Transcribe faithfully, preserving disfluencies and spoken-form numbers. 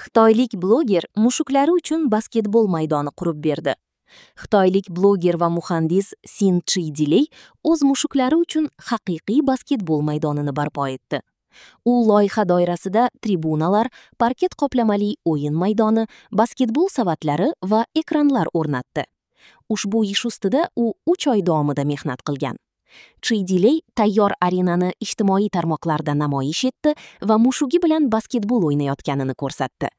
Xitoylik bloger mushuklari uchun basketbol maydoni qurib berdi. Xitoylik bloger va muhandis Sin Chi Diley o'z mushuklari uchun haqiqiy basketbol maydonini barpo etdi. U loyiha doirasida tribunalar, parket qoplamali o'yin maydoni, basketbol savatlari va ekranlar o'rnatdi. Ushbu ish ustida u uch oy davomida mehnat qilgan. Chi Diley tayyor arenani ijtimoiy tarmoqlarda namoyish etdi va mushugi bilan basketbol o'ynayotganini ko'rsatdi.